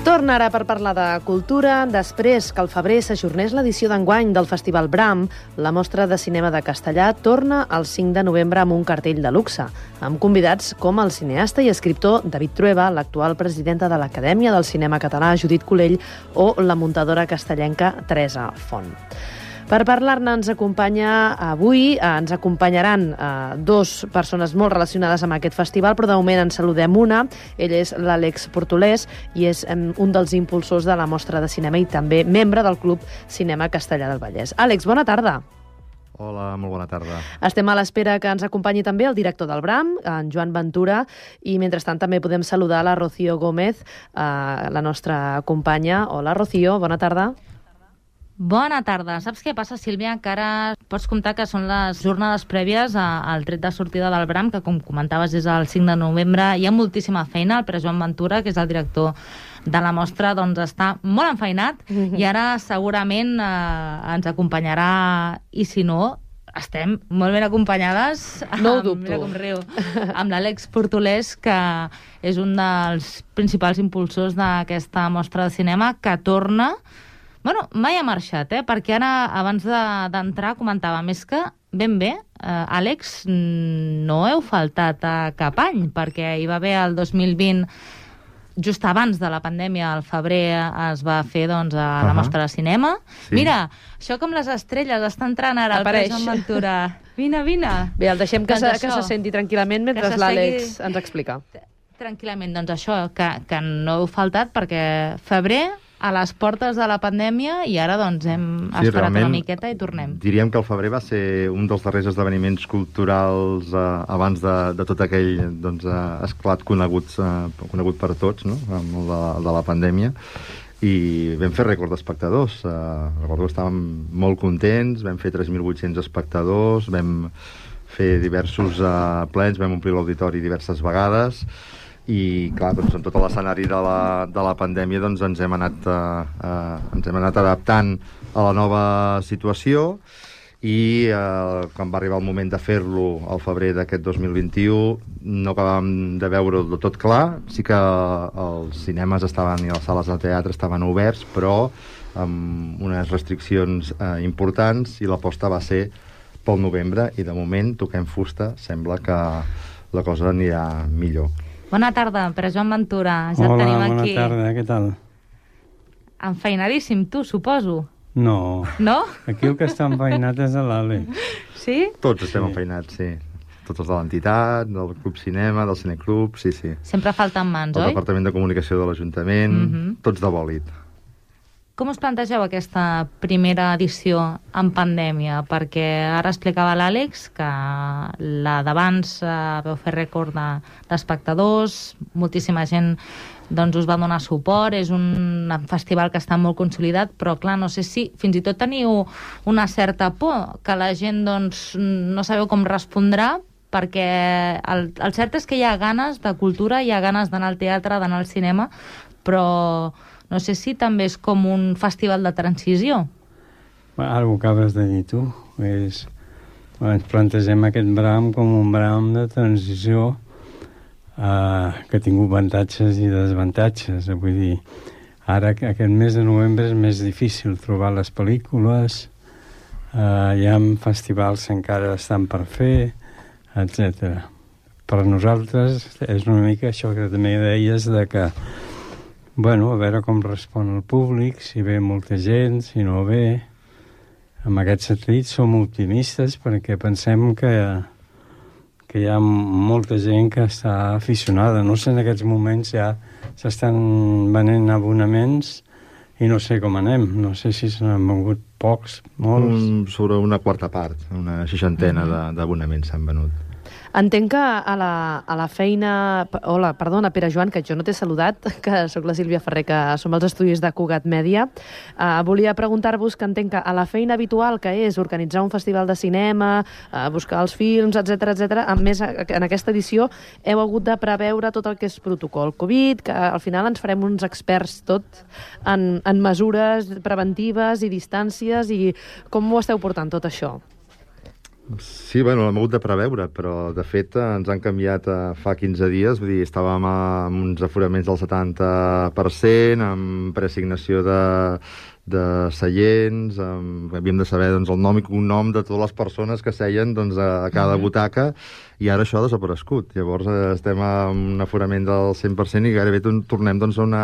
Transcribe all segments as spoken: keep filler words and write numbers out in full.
Torna ara per parlar de cultura. Després que al febrer s'ajornés l'edició d'enguany del Festival Bram, la mostra de cinema de Castellà torna el cinc de novembre amb un cartell de luxe, amb convidats com el cineasta i escriptor David Trueba, l'actual presidenta de l'Acadèmia del Cinema Català, Judit Colell, o la muntadora castellenca Teresa Font. Per parlar-ne ens acompanya avui, eh, ens acompanyaran eh, dos persones molt relacionades amb aquest festival, però de moment en saludem una. Ell és l'Àlex Portolès i és eh, un dels impulsors de la mostra de cinema i també membre del Club Cinema Castellà del Vallès. Àlex, bona tarda. Hola, molt bona tarda. Estem a l'espera que ens acompanyi també el director del Bram, en Joan Ventura, i mentrestant també podem saludar la Rocío Gómez, eh, la nostra companya. Hola, Rocío, bona tarda. Bona tarda. Saps què passa, Sílvia? Que ara pots comptar que són les jornades prèvies al tret de sortida del Bram, que, com comentaves, és el cinc de novembre. Hi ha moltíssima feina. El Pere Joan Ventura, que és el director de la mostra, doncs està molt enfeinat mm-hmm. i ara segurament eh, ens acompanyarà, i si no, estem molt ben acompanyades. No ho amb, dubto. Mira com riu. Amb l'Àlex Portolès, que és un dels principals impulsors d'aquesta mostra de cinema, que torna... Bueno, mai ha marxat, eh? Perquè ara, abans d'entrar, comentava més que, ben bé, eh, Àlex, no heu faltat a cap any, perquè hi va haver el dos mil vint, just abans de la pandèmia, al febrer, es va fer doncs, a la uh-huh. mostra de cinema. Sí. Mira, això com les estrelles, està entrant ara Apareix. el Pere Joan Ventura. Vine, vine. Bé, el deixem que, doncs se, que se senti tranquil·lament mentre l'Àlex segui... ens explica. Tranquil·lament, doncs això, que, que no heu faltat, perquè febrer... a les portes de la pandèmia i ara doncs hem sí, esperat una miqueta i tornem. Diríem que el febrer va ser un dels darrers esdeveniments culturals eh, abans de, de tot aquell doncs, eh, esclat conegut, eh, conegut per tots, no? Amb el de, de la pandèmia, i vam fer rècord d'espectadors. Eh, recordo que estàvem molt contents, vam fer tres mil vuit-cents espectadors, vam fer diversos eh, plens, vam omplir l'auditori diverses vegades, i clar, doncs, en tot l'escenari de, la, de la pandèmia doncs, ens, hem anat, uh, uh, ens hem anat adaptant a la nova situació i uh, quan va arribar el moment de fer-lo al febrer d'aquest dos mil vint-i-u no acabàvem de veure del tot clar. Sí que els cinemes estaven i les sales de teatre estaven oberts, però amb unes restriccions uh, importants, i l'aposta va ser pel novembre, i de moment toquem fusta, sembla que la cosa anirà millor. Bona tarda, Pere Joan Ventura. Ja Hola, et tenim bona aquí. tarda, què tal? Enfeinadíssim, tu, suposo. No. No? Aquí el que està enfeinat és l'Àlex. Sí? Tots estem Sí. enfeinats, sí. Tots els de l'entitat, del Club Cinema, del Cineclub, sí, sí. Sempre falten mans, El oi? Departament de Comunicació de l'Ajuntament, Mhm. tots de bòlit. Com us plantegeu aquesta primera edició en pandèmia? Perquè ara explicava l'Àlex que la d'abans eh, veu fer rècord de- d'espectadors, moltíssima gent doncs, us va donar suport, és un festival que està molt consolidat, però clar, no sé si fins i tot teniu una certa por, que la gent doncs, no sabeu com respondrà, perquè el, el cert és que hi ha ganes de cultura, hi ha ganes d'anar al teatre, d'anar al cinema, però no sé si també és com un festival de transició. Bueno, ara ho acabes de dir tu. És... Bueno, ens plantegem aquest Bram com un Bram de transició eh, que ha tingut avantatges i desavantatges. Vull dir, ara aquest mes de novembre és més difícil trobar les pel·lícules, eh, hi ha festivals que encara estan per fer, etcètera. Per nosaltres és una mica això que també deies de que bueno, a veure com respon el públic, si ve molta gent, si no ve. En aquest sentit som optimistes perquè pensem que, que hi ha molta gent que està aficionada. No sé, en aquests moments ja s'estan venent abonaments i no sé com anem. No sé si se n'han venut pocs, molts. Un, sobre una quarta part, una seixantena mm-hmm. d'abonaments s'han venut. Entenc que a la, a la feina... Hola, perdona, Pere Joan, que jo no t'he saludat, que sóc la Sílvia Ferrer, que som als estudis de Cugat Mèdia. Uh, volia preguntar-vos que entenc que a la feina habitual, que és organitzar un festival de cinema, uh, buscar els films, etcètera, etcètera, a més, en aquesta edició heu hagut de preveure tot el que és protocol Covid, que al final ens farem uns experts tot en, en mesures preventives i distàncies, i com ho esteu portant tot això? Sí, bueno, l'hem hagut de preveure, però de fet ens han canviat eh, fa quinze dies, vull dir, estàvem amb uns aforaments del setanta per cent, amb preassignació de, de seients, amb, havíem de saber doncs, el nom i cognom de totes les persones que seien doncs, a, a cada butaca, i ara això ha desaparegut. Llavors eh, estem amb un aforament del cent per cent i gairebé tornem doncs, a, una,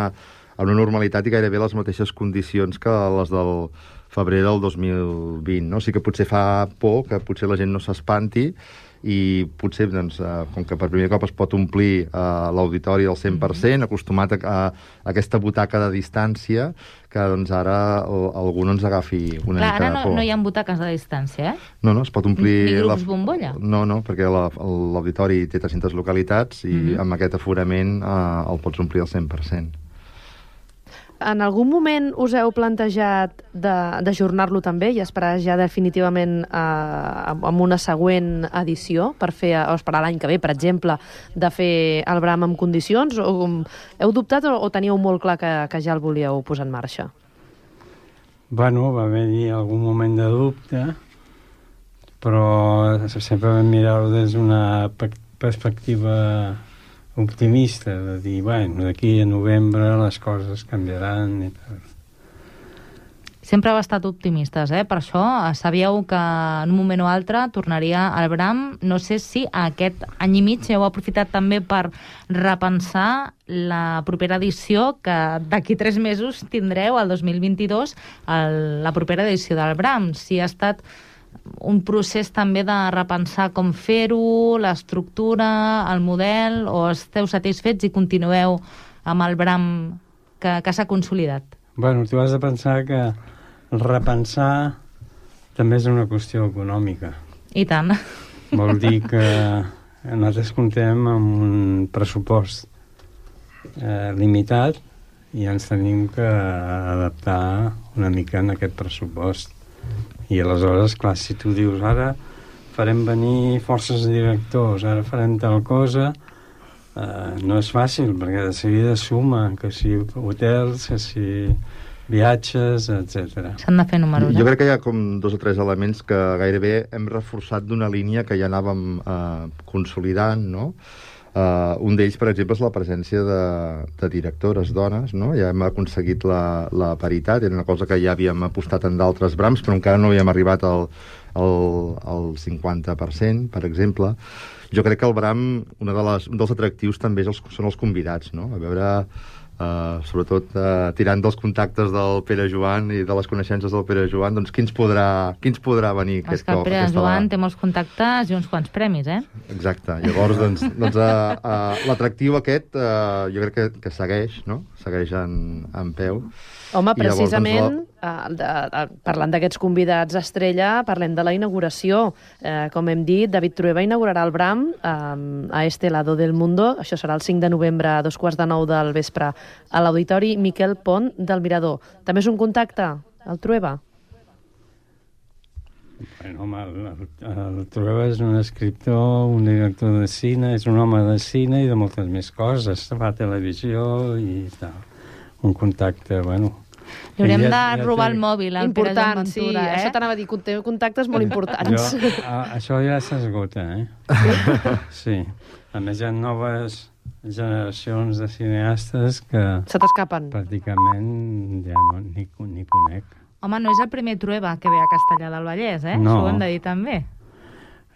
a una normalitat i gairebé les mateixes condicions que les del febrer del dos mil vint, no? Sí que potser fa por que potser la gent no s'espanti i potser, doncs, eh, com que per primer cop es pot omplir eh, l'auditori al cent per cent, acostumat a, a, a aquesta butaca de distància, que doncs ara el, algú no ens agafi una Clar, mica de ara por. no, no hi ha butaques de distància, eh? No, no, es pot omplir... Ni grups la... bombolla? No, no, perquè la- l'auditori té tres-centes localitats i Mhm. amb aquest aforament eh, el pots omplir al cent per cent. En algun moment us heu plantejat de- d'ajornar-lo també i esperar ja definitivament eh, amb una següent edició per fer, o esperar l'any que ve, per exemple, de fer el Bram en condicions? O, um, heu dubtat o, o teníeu molt clar que, que ja el volíeu posar en marxa? Bueno, va haver-hi algun moment de dubte, però sempre vam mirar-ho des d'una pe- perspectiva optimista, de dir, bueno, d'aquí a novembre les coses canviaran i tal. Sempre heu estat optimistes, eh? Per això eh, sabíeu que en un moment o altre tornaria al Bram. No sé si aquest any i mig heu aprofitat també per repensar la propera edició, que d'aquí tres mesos tindreu, el dos mil vint-i-dos, el, la propera edició del Bram. Si ha estat un procés també de repensar com fer-ho, l'estructura, el model, o esteu satisfets i continueu amb el Bram que, que s'ha consolidat? Bueno, tu has de pensar que repensar també és una qüestió econòmica. I tant. Vol dir que nosaltres comptem amb un pressupost eh, limitat i ens tenim que adaptar una mica en aquest pressupost. I aleshores, clar, si tu dius ara farem venir forces directors, ara farem tal cosa, eh, no és fàcil, perquè de seguida suma, que si hotels, que si viatges, etcètera. S'han de fer números, Jo eh? crec que hi ha com dos o tres elements que gairebé hem reforçat d'una línia que ja anàvem eh, consolidant, no? Uh, un d'ells, per exemple, és la presència de, de directores dones, no? Ja hem aconseguit la, la paritat, era una cosa que ja havíem apostat en d'altres brams, però encara no havíem arribat al, al, al cinquanta per cent, per exemple. Jo crec que el Bram, una de les, un dels atractius també és els, són els convidats, no? A veure... Uh, sobretot uh, tirant dels contactes del Pere Joan i de les coneixences del Pere Joan, doncs qui ens podrà, qui ens podrà venir És aquest que el cop? Pere aquesta Joan vegada? té molts contactes i uns quants premis, eh? Exacte. Llavors, doncs, doncs uh, uh, l'atractiu aquest uh, jo crec que, que segueix, no? Segueix en, en peu. Home, I llavors, precisament, doncs, eh, de, de, parlant d'aquests convidats estrella, parlem de la inauguració. Eh, com hem dit, David Trueba inaugurarà el Bram eh, a este lado del mundo. Això serà el cinc de novembre a dos quarts de nou del vespre a l'Auditori Miquel Pont del Mirador. També és un contacte, el Trueba? Bueno, home, el, el, el Trueba és un escriptor, un director de cine, és un home de cine i de moltes més coses. Va a televisió i tal. Un contacte, bueno... Li haurem Ja- de ja robar té- el mòbil al Pere Joan Important, sí. Ventura, eh? Això t'anava a dir, té contactes molt importants. Jo, a, això ja s'esgota, eh? Sí. A més, hi ha noves generacions de cineastes que Se t'escapen. pràcticament ja no, ni, ni conec. Home, no és el primer Trueba que ve a Castellar del Vallès, eh? No. Això ho hem de dir també.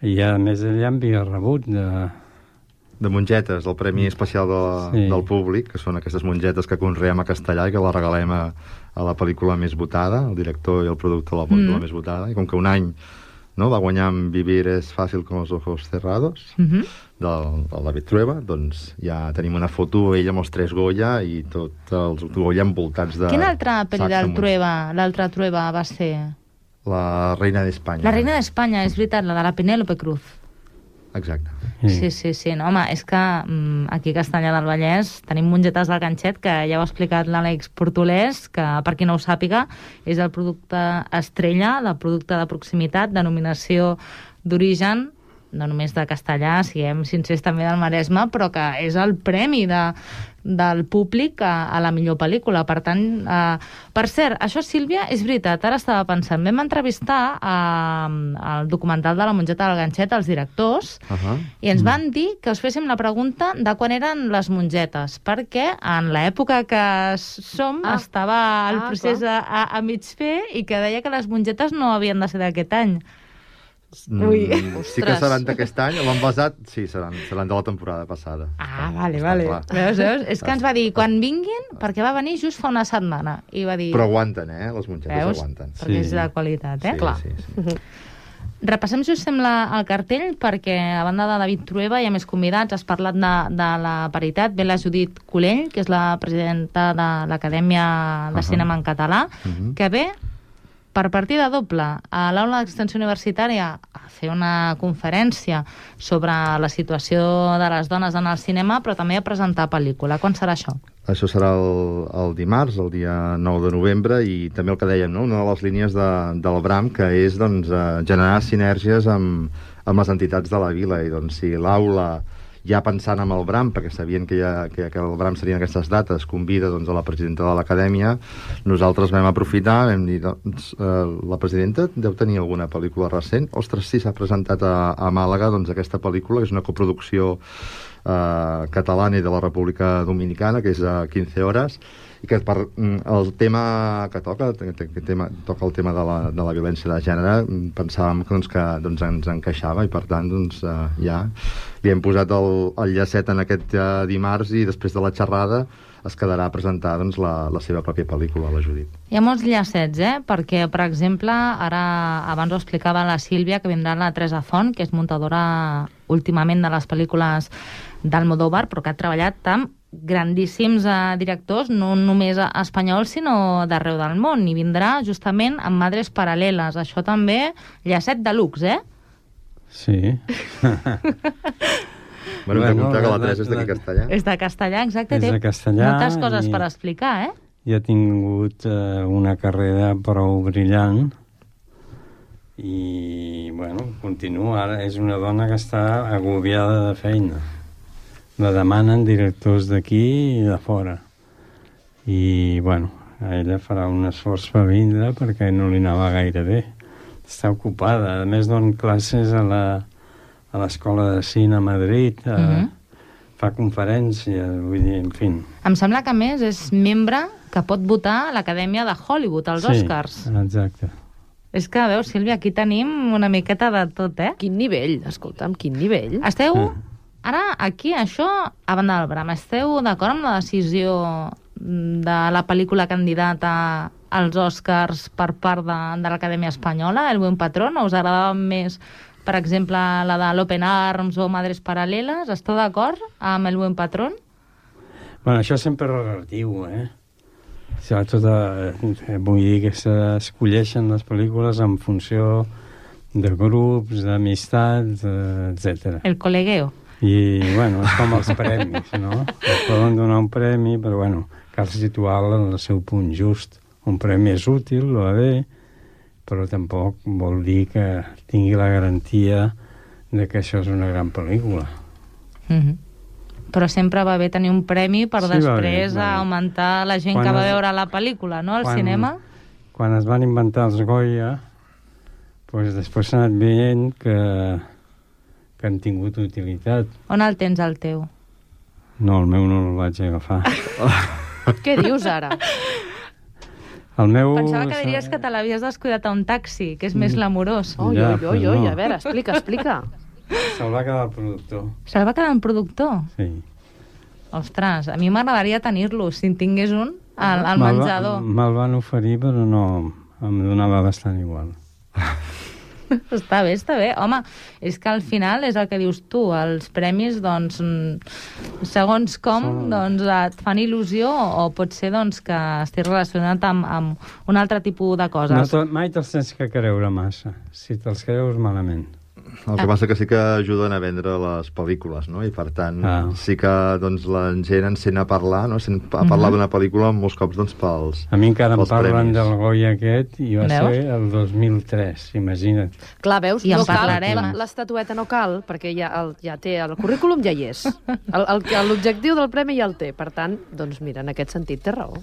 I a més, ell ja havia rebut de... De mongetes, el Premi Especial de, Sí. del Públic, que són aquestes mongetes que conreem a Castellà i que la regalem a, a la pel·lícula més votada, el director i el productor de la pel·lícula Mm. més votada, i com que un any no, va guanyar amb Vivir es fàcil con los ojos cerrados, Uh -huh. del, del David Trueba, doncs ja tenim una foto, ell amb els tres Goya i tots els Goya envoltats de... Quina altra pel·li sacs del amunt. Trueba, l'altra Trueba va ser? La Reina d'Espanya. La Reina d'Espanya, és veritat, la de la Penélope Cruz. Exacte. Sí, sí, sí. No, home, és que mm, aquí a Castellar del Vallès tenim mongetes del ganxet, que ja ho ha explicat l'Àlex Portolès, que per qui no ho sàpiga és el producte estrella, el producte de proximitat, denominació d'origen, no només de Castellar, siguem sincers també del Maresme, però que és el premi de, del públic a, a la millor pel·lícula. Per tant, eh, per cert, això, Sílvia, és veritat, ara estava pensant, vam entrevistar eh, el documental de La mongeta del ganxet, els directors, uh-huh. i ens van dir que us féssim la pregunta de quan eren les mongetes, perquè en l'època que som ah. estava el ah, procés a, a, a mig fer i que deia que les mongetes no havien de ser d'aquest any. Ui. Mm, sí que seran d'aquest any, l'han basat, sí, seran, seran de la temporada passada. Ah, vale, vale. Veus, veus? És que ens va dir, quan vinguin, perquè va venir just fa una setmana. I va dir... Però aguanten, eh? Les mongetes veus? Aguanten. Perquè sí. és de qualitat, eh? Sí, Clar. Sí, sí. Repassem, si us sembla, el cartell, perquè a banda de David Trueba hi ha més convidats. Has parlat de, de la paritat. Ve la Judit Colell, que és la presidenta de l'Acadèmia de uh-huh. Cinema en Català, uh-huh. que ve per partida doble a l'Aula d'Extensió Universitària a fer una conferència sobre la situació de les dones en el cinema, però també a presentar pel·lícula. Quan serà això? Això serà el, el dimarts, el dia nou de novembre, i també el que dèiem, no? Una de les línies de, del BRAM, que és doncs, generar sinergies amb, amb les entitats de la vila. I doncs, si l'aula, ja pensant en el BRAM, perquè sabien que, ja, que, que el BRAM serien aquestes dates, convida doncs, a la presidenta de l'acadèmia, nosaltres vam aprofitar, vam dir, doncs, eh, la presidenta deu tenir alguna pel·lícula recent? Ostres, sí, s'ha presentat a, a Màlaga doncs, aquesta pel·lícula, que és una coproducció eh, catalana i de la República Dominicana, que és a quinze hores, i que per el tema que toca, que tema, toca el tema de la, de la violència de gènere, pensàvem que, doncs, que doncs, ens encaixava, i per tant doncs, eh, ja li hem posat el, el llacet en aquest eh, dimarts, i després de la xerrada es quedarà a presentar doncs, la, la seva pròpia pel·lícula, la Judit. Hi ha molts llacets, eh? Perquè, per exemple, ara abans ho explicava la Sílvia, que vindrà la Teresa Font, que és muntadora últimament de les pel·lícules d'Almodóvar, però que ha treballat amb grandíssims eh, directors, no només espanyols, sinó d'arreu del món, i vindrà justament amb Madres Paral·leles. Això també, llacet de luxe, eh? Sí. Bueno, hem de comptar que la Teresa és d'aquí Castellà. És de Castellà, exacte. És de Castellà. Moltes coses i... per explicar, eh? I ha tingut eh, una carrera prou brillant, i, bueno, continua. Ara és una dona que està agobiada de feina. La demanen directors d'aquí i de fora. I, bueno, ella farà un esforç per vindre perquè no li anava gaire bé. Està ocupada. A més, donen classes a la a l'Escola de Cine a Madrid, eh, mm-hmm. fa conferències, vull dir, en fi. Em sembla que, a més, és membre que pot votar a l'Acadèmia de Hollywood, als sí, Oscars. Sí, exacte. És que, veus, Sílvia, aquí tenim una miqueta de tot, eh? Quin nivell, escolta'm, quin nivell. Esteu... Ah. Ara, aquí, això, a banda del BRAM, esteu d'acord amb la decisió de la pel·lícula candidata als Oscars per part de, de l'Acadèmia Espanyola, El Buen Patrón? O us agradava més, per exemple, la de l'Open Arms o Madres Paral·leles? Esteu d'acord amb El Buen Patrón? Bueno, això sempre és relatiu, eh? Tot, eh, vull dir que s'escolleixen les pel·lícules en funció de grups, d'amistats, eh, etcètera. El col·legueo. I, bueno, és com els premis, no? Es poden donar un premi, però, bueno, cal situar-la en el seu punt just. Un premi és útil, va bé, però tampoc vol dir que tingui la garantia de que això és una gran pel·lícula. Mm-hmm. Però sempre va bé tenir un premi per sí, després bé, augmentar la gent que va es, veure la pel·lícula, no?, al quan, cinema. Quan es van inventar els Goya, doncs després s'ha anat veient que que han tingut utilitat. On el tens, el teu? No, el meu no el vaig agafar. Què dius ara? El meu... Pensava que diries que te l'havies descuidat a un taxi, que és més glamurós. Oi, ja, oi, oi, oi, no. A veure, explica, explica. Se'l va quedar el productor. Se'l va quedar el productor? Sí. Ostres, a mi m'agradaria tenir-lo, si en tingués un, al, al menjador. Me'l van oferir, però no, em donava bastant igual. Està bé, està bé. Home, és que al final és el que dius tu, els premis, doncs, segons com, Són... doncs, et fan il·lusió, o pot ser, doncs, que estigui relacionat amb, amb un altre tipus de coses. No, tot, mai te'ls tens que creure massa, si te'ls creus malament. El que passa que sí que ajuden a vendre les pel·lícules, no? I per tant, ah. sí que doncs, la gent encén a parlar, no? Sent a parlar uh-huh. d'una pel·lícula molts cops doncs, pels A mi encara em parlen premis. del Goya aquest i va Veus? ser el dos mil tres, imagina't. Clar, veus? I en no cal, parlarem. la- l'estatueta no cal, perquè ja, el, ja té el currículum, ja hi és. El- el- L'objectiu del premi ja el té. Per tant, doncs mira, en aquest sentit té raó.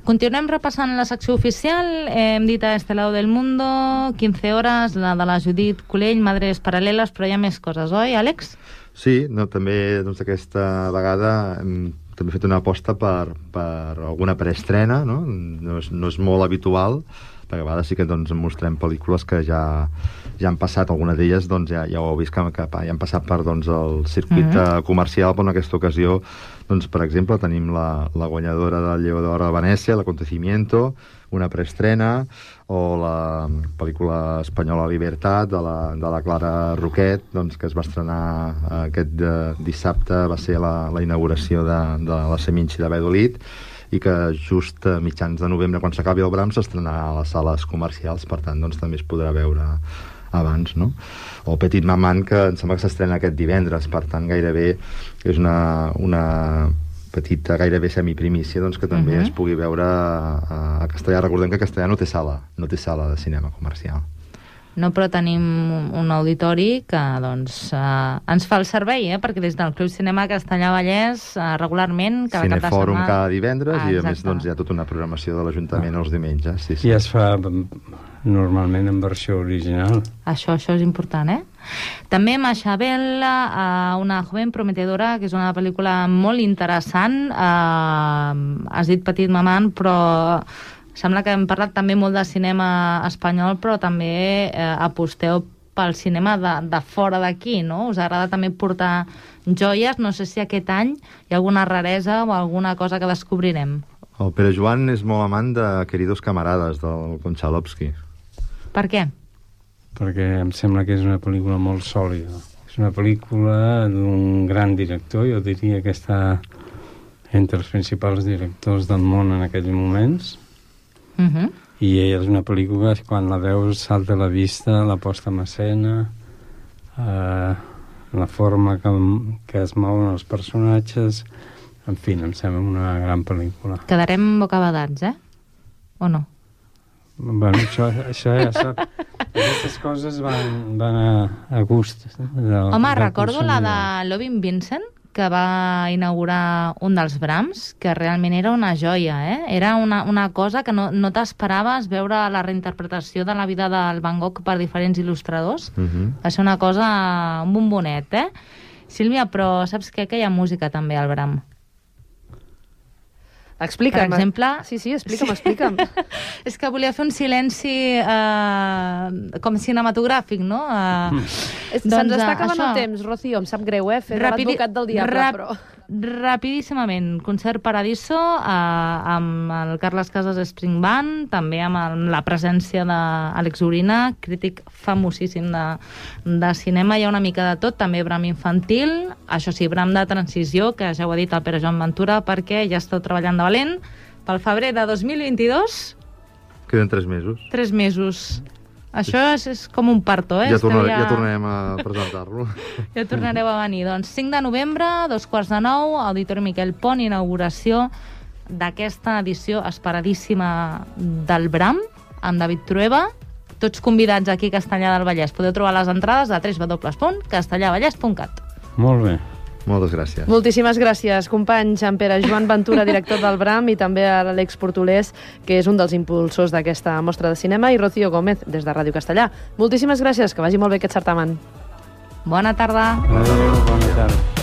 Continuem repassant la secció oficial. Hem dit a Este lado del mundo, quinze hores, la de la Judit Colell, Madres Paral·leles, però hi ha més coses, oi, Àlex? Sí, no, també doncs, aquesta vegada hem també fet una aposta per, per alguna preestrena, no? No és, no és molt habitual, perquè a vegades sí que doncs, mostrem pel·lícules que ja, ja han passat, alguna d'elles doncs, ja, ja ho heu vist que, que ja han passat per doncs, el circuit mm-hmm. comercial, però en aquesta ocasió, doncs, per exemple, tenim la, la guanyadora del Lleó d'Or de Venècia, l'Acontecimiento, una preestrena, o la pel·lícula espanyola Libertat, de la, de la Clara Roquet, doncs, que es va estrenar aquest de, dissabte, va ser la, la inauguració de, de la Seminci de Valladolid, i que just a mitjans de novembre, quan s'acabi el Bram, s'estrenarà a les sales comercials, per tant, doncs, també es podrà veure abans, no? O Petit Maman, que em sembla que s'estrena aquest divendres, per tant, gairebé és una, una petita, gairebé semiprimícia, doncs, que també uh-huh. es pugui veure a, a castellà. Recordem que castellà no té sala, no té sala de cinema comercial. No, però tenim un auditori que doncs, eh, ens fa el servei, eh? Perquè des del Club Cinema Castellà Vallès, eh, regularment, cada cap de Cinefòrum setmana... cada divendres, ah, i a més doncs, hi ha tota una programació de l'Ajuntament ah. els diumenges. Sí, sí. I es fa normalment en versió original. Això, això és important, eh? També Machabel, eh, una joven prometedora, que és una pel·lícula molt interessant. Eh, has dit Petit Maman, però sembla que hem parlat també molt de cinema espanyol, però també eh, aposteu pel cinema de, de fora d'aquí, no? Us agrada també portar joies. No sé si aquest any hi ha alguna raresa o alguna cosa que descobrirem. El Pere Joan és molt amant de Queridos Camarades, del Konchalovsky. Per què? Perquè em sembla que és una pel·lícula molt sòlida. És una pel·lícula d'un gran director, jo diria que està entre els principals directors del món en aquells moments. Uh-huh. I és una pel·lícula que quan la veus salta a la vista, la posta en escena, eh, la forma que, que es mouen els personatges, en fi, em sembla una gran pel·lícula. Quedarem bocabadats, eh? O no? Bueno, això, això ja sap. Aquestes coses van, van a, a gust. De, Home, de recordo la de Lovin Vincent, que va inaugurar un dels Brahms, que realment era una joia, eh? Era una, una cosa que no, no t'esperaves veure la reinterpretació de la vida del Van Gogh per diferents il·lustradors. Uh-huh. Va ser una cosa, un bombonet, eh? Sílvia, però saps què? Que hi ha música també al Bram. Explica'm. Per exemple... Sí, sí, explica'm, explica'm. És que volia fer un silenci eh, com cinematogràfic, no? Eh, Se'ns doncs, està acabant això. el temps, Rocío, em sap greu, eh? Fer Rapidi- l'advocat del diable, rap- però... Rapidíssimament, Concert Paradiso, eh, amb el Carles Casas String Band, també amb el, la presència d'Àlex Urina, crític famosíssim de, de cinema. Hi ha una mica de tot, també Bram infantil, això sí, Bram de transició, que ja ho ha dit el Pere Joan Ventura, perquè ja esteu treballant de valent pel febrer de dos mil vint-i-dos. Queden tres mesos. Tres mesos. Això és, és com un parto, eh? Ja, Esteu tornaré, ja... ja tornarem a presentar-lo. Ja tornareu a venir. Doncs cinc de novembre, dos quarts de nou, Auditori Miquel Pont, inauguració d'aquesta edició esperadíssima del Bram, amb David Trueba. Tots convidats aquí a Castellar del Vallès. Podeu trobar les entrades a w w w punt castellarvallès punt cat. Molt bé. Moltes gràcies. Moltíssimes gràcies, companys. En Pere Joan Ventura, director del Bram, i també a l'Àlex Portolés, que és un dels impulsors d'aquesta mostra de cinema, i Rocío Gómez, des de Ràdio Castellà. Moltíssimes gràcies, que vagi molt bé aquest certamen. Bona tarda. Adéu, bona tarda.